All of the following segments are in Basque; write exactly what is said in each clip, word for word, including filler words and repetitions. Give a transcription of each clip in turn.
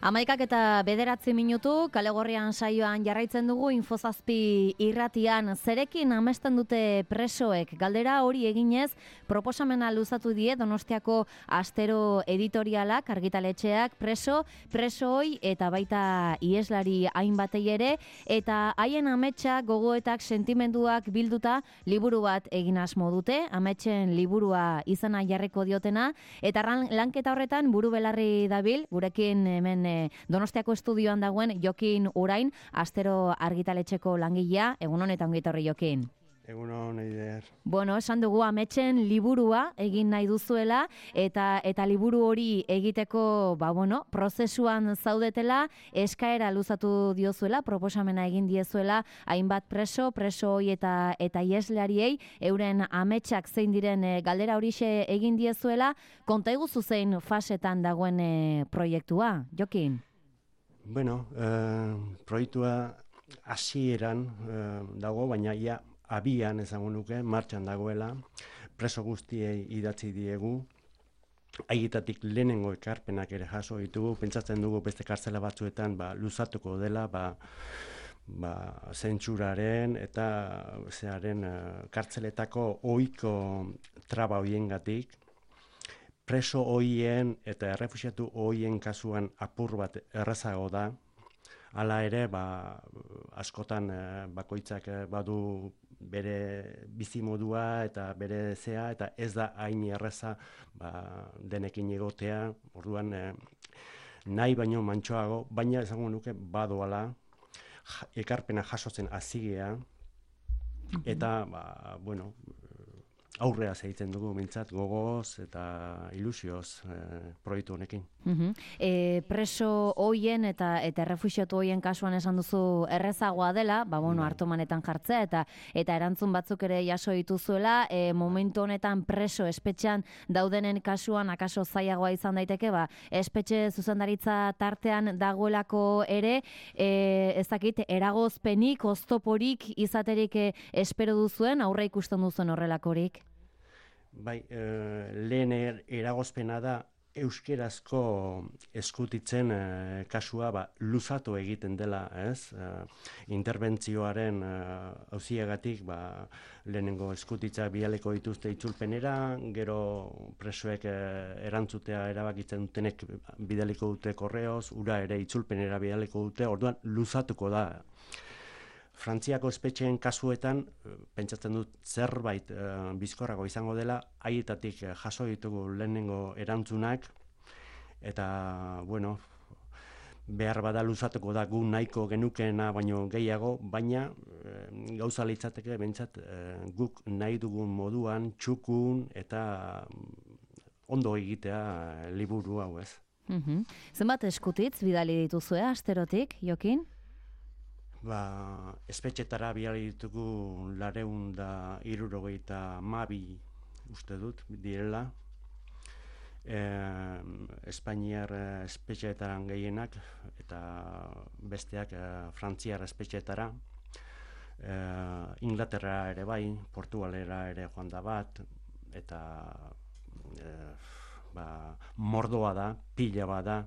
Amaikak eta bederatzi minutu, Kalegorrian saioan jarraitzen dugu Infozazpi irratian. Zerekin amesten dute presoek? Galdera hori eginez, proposamena luzatu die Donostiako Astero editorialak, argitaletxeak, preso, presoi eta baita ieslari hainbatei ere, eta haien ametsak, gogoetak, sentimenduak bilduta liburu bat egin asmo dute, ametsen liburua izena jarriko diotena, eta lanketa horretan buru belarri dabil, gurekin hemen Donostiako estudioan dagoen Jokin Urain, Astero argitaletxeko langilea. Egun honetan ongi etorri, Jokin. Egun hon, Eider. Bueno, esan dugu ametsen liburua egin nahi duzuela, eta eta liburu hori egiteko, ba bueno, prozesuan zaudetela, eskaera luzatu diozuela, proposamena egin diezuela, hainbat preso, presoi eta eta ieslariei, euren ametsak zein diren e, galdera horixe egin diezuela, konta iguzu zein fasetan dagoen e, proiektua, Jokin? Bueno, eh, proiektua hasieran eh, dago, baina ia abian esango nuke, martxan dagoela, preso guztiei idatzi diegu, haietatik lehenengo ekarpenak ere jaso ditugu, pentsatzen dugu beste kartzela batzuetan ba, luzatuko dela, ba, ba, zentsuraren eta zearen uh, kartzeletako ohiko traba hoiengatik, preso hoien eta errefuxiatu hoien kasuan apur bat errazago da. Hala ere, ba, askotan eh, bakoitzak eh, badu bere bizimodua eta bere zea, eta ez da hain erraza ba, denekin egotea, orduan eh, nahi baino mantsoago, baina esango nuke badoala, ekarpena jasotzen hazigea, eta, ba, bueno, aurrea segitzen dugu mintzat gogoz eta ilusioz eh, proiektu honekin. Uh-huh. e, preso hoien eta eta errefuxiatu hoien kasuan esan duzu errezagoa dela, ba bueno, hartomanetan jartzea eta eta erantzun batzuk ere jaso dituzuela, e, momentu honetan preso espetxean daudenen kasuan akaso zailagoa izan daiteke, ba espetxe zuzendaritza tartean dagoelako ere, e, ez dakit eragozpenik, oztoporik izaterik e, espero duzuen, aurre ikusten duzuen horrelakorik? Bai, eh, lehen er, eragozpena da euskerazko eskutitzen eh, kasua ba, luzatu egiten dela, ez? Eh, interbentzioaren eh, auziagatik ba, lehenengo eskutitza bialeko dituzte itzulpenera, gero presoek eh, erantzutea erabakitzen dutenek bidaliko dute korreoz, ura ere itzulpenera bidaliko dute, orduan luzatuko da. Frantziako espetxeen kasuetan, pentsatzen dut zerbait e, bizkorrago izango dela, haietatik jaso ditugu lehenengo erantzunak, eta, bueno, behar bada luzatuko da gu nahiko genukeena baino gehiago, baina e, gauza litzateke bentsat e, guk nahi dugun moduan, txukun eta ondo egitea liburu hau, ez. Uh-huh. Zenbat eskutitz bidali dituzue Asterotik, Jokin? Ba, espetxetara bidali ditugu lareun da hirurogeita hamabi uste dut direla. E, Espainiar espetxeetaran gehienak eta besteak e, Frantziar espetxeetara. E, Inglaterra ere bai, Portugalera ere joan da bat, eta e, ba, mordoa da, pila bat da.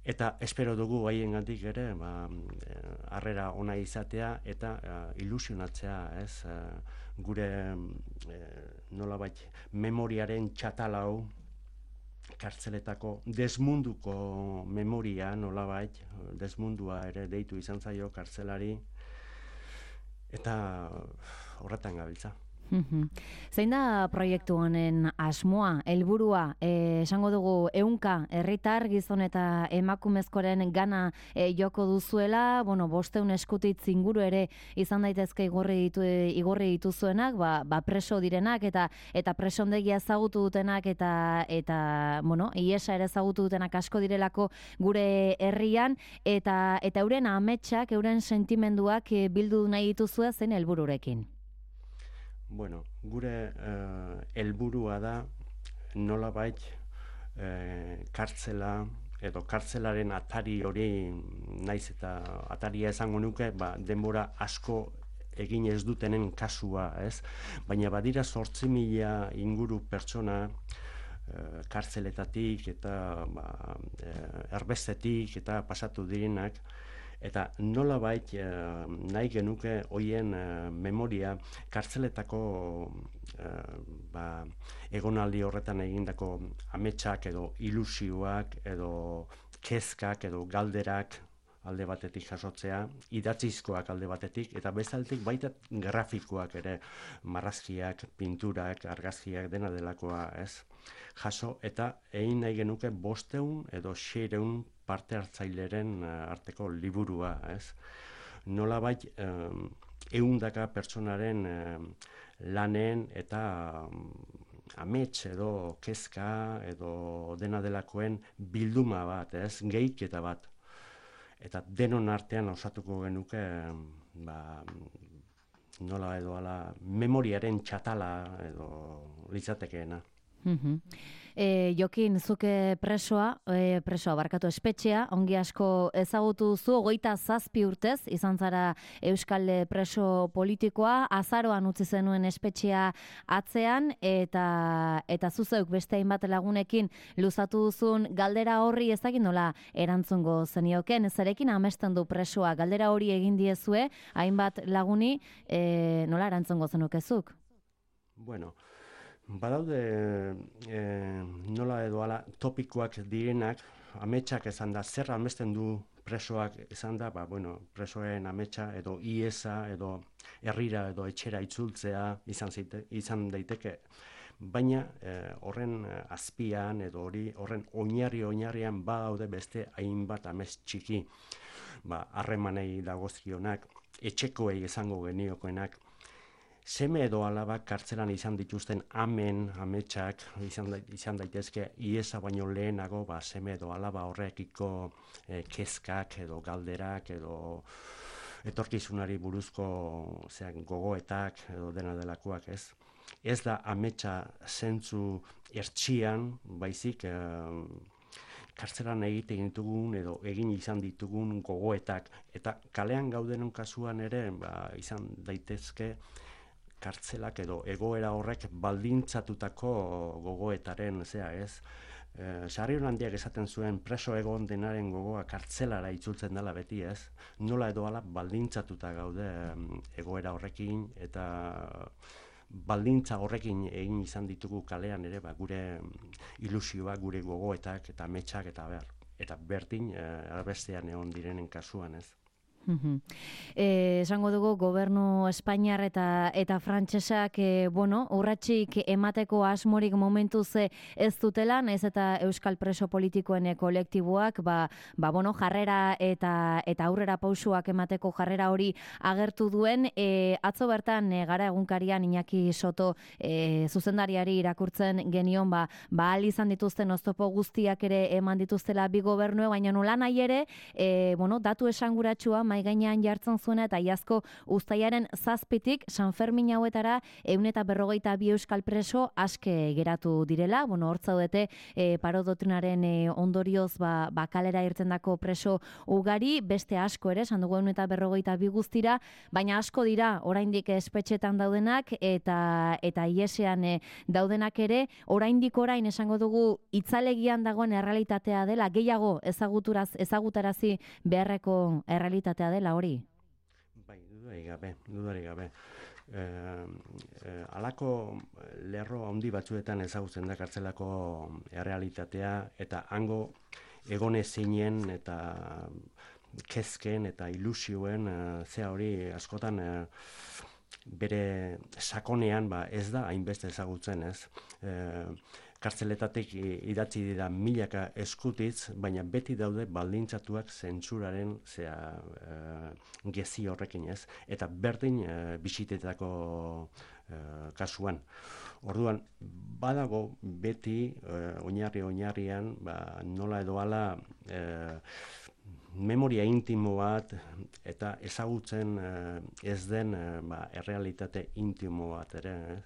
Eta espero dugu haiengatik ere, ba, harrera ona izatea eta uh, ilusionatzea, ez? Uh, gure uh, nolabait memoriaren txatalau, kartzeletako desmunduko memoria nolabait, desmundua ere deitu izan zaio kartzelari, eta horretan gabiltza. Uhum. Zein da proiektu honen asmoa, helburua, e, esango dugu ehunka herritar gizon eta emakumezkoren gana e, joko duzuela, bueno, bosteun eskutitz inguru ere izan daitezke igorri ditu igorri dituzuenak, ba, ba preso direnak eta eta presondegia ezagutu dutenak eta eta bueno, iesa ere ezagutu dutenak asko direlako gure herrian eta eta euren ametsak, euren sentimenduak e, bildu nahi dituzue zen helbururekin. Bueno, gure helburua uh, da nolabait uh, kartzela edo kartzelaren atari hori naiz eta ataria esango nuke, ba, denbora asko egin ez dutenen kasua, ez? Baina badira zortzi mila inguru pertsona kartzeletatik eta ba, erbestetik eta pasatu direnak, eta nolabait e, nahi genuke hoien e, memoria kartzeletako e, ba, egonaldi horretan egindako ametsak edo ilusioak edo kezkak edo galderak alde batetik jasotzea, idatzizkoak alde batetik, eta bezaltik baita grafikoak ere, marrazkiak, pinturak, argazkiak, dena delakoa, ez? Jaso, eta egin nahi genuke bosteun edo seireun parte hartzaileren arteko liburua, ez? Nolabait, um, ehundaka pertsonaren um, lanen eta um, amets edo kezka edo dena delakoen bilduma bat, ez? Gehiketa bat. Eta denon artean osatuko genuke, ba, nola edo ala, memoriaren txatala edo litzatekeena. Mm-hmm. E, Jokin, zuke presoa, e, presoa barkatu espetxea, ongi asko ezagutu zu, hogeita zazpi urtez, izan zara euskal preso politikoa, azaroan utzi zenuen espetxea atzean, eta eta zuzeuk beste hainbat lagunekin luzatu duzun galdera horri ezagin nola erantzungo zenioken, zerekin amesten du presoa, galdera hori egin diezue, hainbat laguni, e, nola erantzungo zenukezuk? Bueno, badaude e, nola edo ala topikoak direnak, ametsak esan da, zer amesten du presoak esan da, ba, bueno, presoen ametsa edo iesa edo herrira edo etxera itzultzea izan, zite, izan daiteke. Baina eh, horren azpian edo hori horren oinarri oinarrian badaude beste hainbat amets txiki, ba, harremanei dagozkionak, etxekoei esango geniokoenak, seme edo alabak kartzelan izan dituzten amen, ametsak, izan, izan daitezke, iesa baino lehenago, ba, seme edo alaba horrekiko eh, kezkak edo galderak edo etorkizunari buruzko zeak, gogoetak edo dena delakoak, ez? Ez da ametsa zentzu ertxian, baizik, eh, kartzelan egiten ditugun edo egin izan ditugun gogoetak. Eta kalean gaudenen kasuan ere, ba, izan daitezke, kartzelak edo egoera horrek baldintzatutako gogoetaren, zea ez, e, Sarri Holandiak esaten zuen preso egon denaren gogoa kartzelara itzultzen dela beti, ez, nola edo ala baldintzatuta gaude egoera horrekin, eta baldintza horrekin egin izan ditugu kalean ere, ba, gure ilusioak, gure gogoetak eta ametsak eta ber, eta berdin e, erbestean egon direnen kasuan, ez. Eh, esango dugu gobernu Espainiar eta eta frantsesak eh, bueno, urratsik emateko asmorik momentuz ez dutela, naiz eta euskal preso politikoen kolektiboak ba, ba bueno, jarrera eta eta aurrera pausuak emateko jarrera hori agertu duen, eh, atzo bertan eh, Gara egunkarian Iñaki Soto eh, zuzendariari irakurtzen genion, ba ba ahal izan dituzten oztopo guztiak ere eman dituztela bi gobernue, baina nola nahi ere, eh, bueno, datu esanguratsua mai gainean jartzen zuena eta iazko uztailaren zazpitik San Fermin hauetara ehun eta berrogeita bi euskal preso aske geratu direla. Bueno, hor zaudete e, paro doktrinaren e, ondorioz ba, ba kalera irtendako preso ugari, beste asko ere, esan dugu ehun eta berrogeita bi guztira, baina asko dira oraindik espetxetan daudenak eta eta iesean e, daudenak ere, oraindik orain esango dugu itzalegian dagoen errealitatea dela, gehiago ezaguturaz ezagutarazi beharreko errealitatea dela hori? Bai, dudarik gabe, dudarik gabe. E, e, alako lerro handi batzuetan ezagutzen da kartzelako errealitatea eta hango egone zinen eta kezken eta ilusioen e, zea hori askotan e, bere sakonean ba, ez da hainbeste ezagutzen, ez. E, kartzeletatik idatzi dira milaka eskutitz, baina beti daude baldintzatuak zentsuraren zea e, gezi horrekin, ez, eta berdin e, bisitetako e, kasuan. Orduan, badago beti e, oinarri oinarrian, ba, nola edo ala e, memoria intimo bat eta ezagutzen e, ez den e, ba, errealitate intimo bat ere, ez?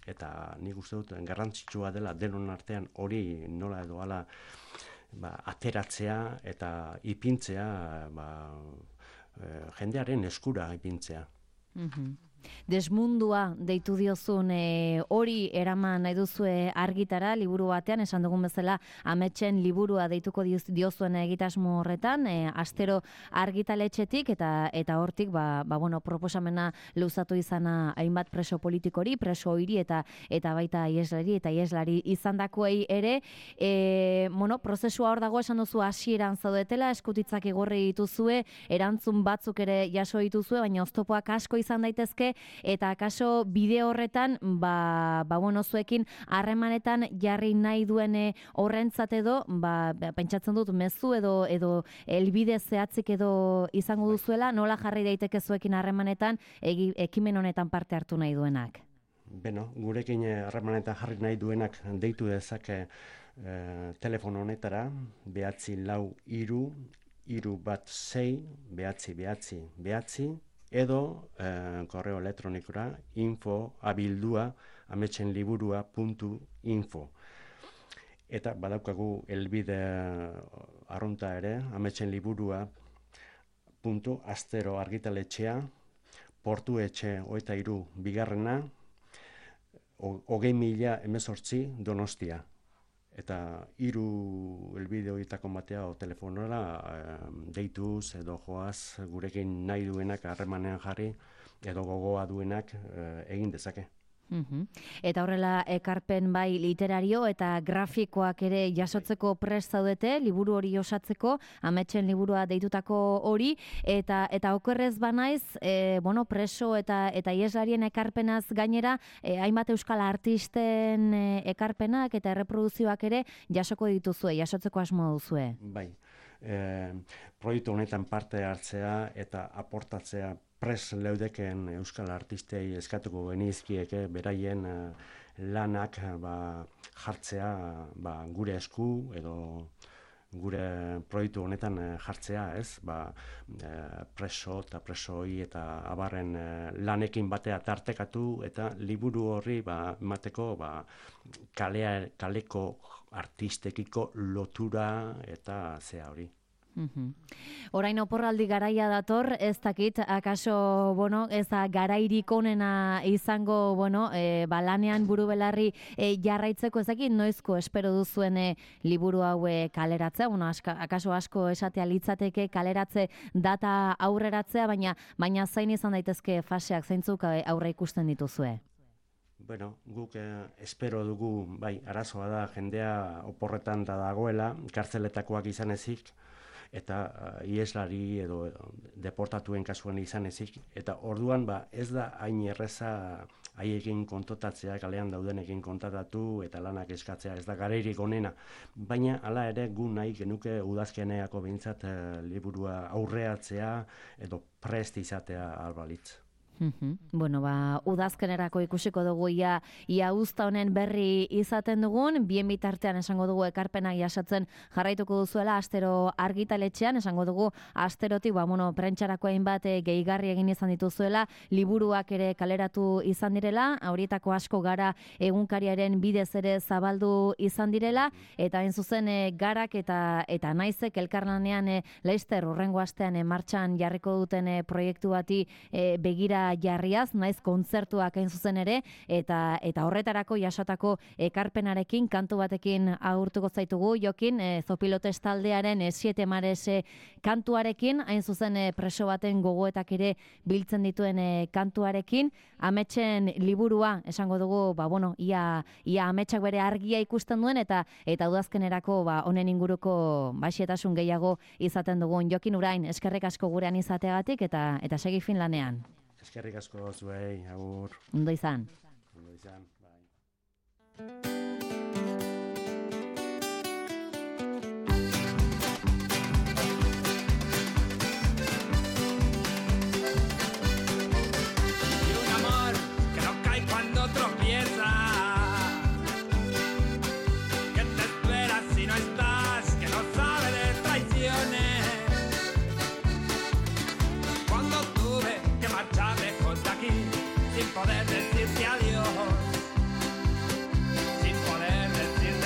Eta nik uste dut garrantzitsua dela denon artean hori nola edo ala ba, ateratzea eta ipintzea ba, e, jendearen eskura ipintzea. Mm-hmm. Desmundua deitu diozun e, hori eraman nahi duzue argitara, liburu batean, esan dugun bezala ametsen liburua deituko diozuen egitasmo horretan, e, astero argitaletxetik eta eta hortik ba, ba, bueno, proposamena luzatu izana hainbat preso politikori, preso hiri eta eta baita ieslari eta ieslari izandakoei ere, e, bueno, prozesua hor dago esan duzu hasieran zaudetela, eskutitzak igorri dituzue, erantzun batzuk ere jaso dituzue, baina oztopoak asko izan daitezke. Eta akaso bide horretan, ba, ba bueno, zuekin harremanetan jarri nahi duene horrentzat edo, ba, pentsatzen dut mezu edo edo helbide zehatzik edo izango duzuela, nola jarri daiteke zuekin harremanetan egi, ekimen honetan parte hartu nahi duenak? Beno, gurekin harremanetan jarri nahi duenak deitu dezake e, telefono honetara, behatzi lau hiru, hiru bat sei, behatzi behatzi behatzi, edo eh, korreo elektronikora info abildua ametsenliburua puntu info. Eta badaukagu helbide arrunta ere, ametsenliburua puntu astero argitaletxea, portu etxe hogeita hiru bigarrena, hogei mila hemezortzi Donostia. Eta hiru helbide horietako batea o telefonora e, deituz edo joaz gurekin nahi duenak harremanean jarri edo gogoa duenak e, egin dezake. Uhum. Eta horrela ekarpen bai literario eta grafikoak ere jasotzeko prest zaudete, liburu hori osatzeko, ametsen liburua deitutako hori, eta eta okerrez banaiz, e, bueno, preso eta eta ieslarien ekarpenaz gainera, e, hainbat euskal artisten e, ekarpenak eta erreproduzioak ere jasoko dituzue, jasotzeko asmo duzue. Bai, e, proiektu honetan parte hartzea eta aportatzea pres leudeken euskal artistei eskatuko genizkieke beraien uh, lanak ba, jartzea ba, gure esku edo gure proiektu honetan uh, jartzea, ez? Ba, uh, preso eta presoi eta abarren uh, lanekin batea tartekatu eta liburu horri ba, emateko ba, kalea, kaleko artistekiko lotura eta zea hori. Uhum. Orain oporraldi garaia dator, ez dakit, akaso, bueno, ez da garairik onena izango, bueno, e, balanean buru belarri e, jarraitzeko, ez dakit, noizko espero duzuen e, liburu haue kaleratzea, bueno, aska, akaso asko esatea litzateke kaleratze data aurreratzea, baina baina zain izan daitezke faseak, zeintzuk aurre ikusten dituzue? Bueno, guk eh, espero dugu, bai, arazoa da, jendea oporretan da dagoela, kartzeletakoak izan ezik, eta uh, ieslari edo deportatuen kasuan izan ezik. Eta orduan ba, ez da hain erreza haiekin kontotatzea, kalean daudenekin kontatatu eta lanak eskatzea, ez da garairik onena. Baina hala ere gu nahi genuke udazkeneako behintzat uh, liburua aurreatzea edo prest izatea albalitz. Mm-hmm. Bueno, ba, udazkenerako ikusiko dugu ia, ia uzta honen berri izaten dugun, bien bitartean esango dugu ekarpenak jasatzen jarraituko duzuela, astero argitaletxean, esango dugu asterotik, ba, bueno, prentxarako hainbat gehigarri egin izan dituzuela, liburuak ere kaleratu izan direla, horietako asko gara egunkariaren bidez ere zabaldu izan direla, eta hain zuzen e, garak eta eta naizek elkarlanean e, Leister urrengo astean e, martxan jarriko duten e, proiektu bati e, begira jarriaz, naiz kontzertuak hain zuzen ere, eta eta horretarako jasotako ekarpenarekin, kantu batekin agurtuko zaitugu, Jokin, e, Zopilotes taldearen e, Siete Mares e, kantuarekin, hain zuzen e, preso baten gogoetak ere biltzen dituen e, kantuarekin, ametsen liburua, esango dugu, ba, bueno, ia, ia ametsak bere argia ikusten duen, eta eta udazkenerako ba, honen inguruko baxetasun gehiago izaten dugun. Jokin Urain, eskerrik asko gurean izateagatik, eta eta segi Finlanean. Eskerrik asko zuei, agur. Ondo izan. Ondo izan, bai.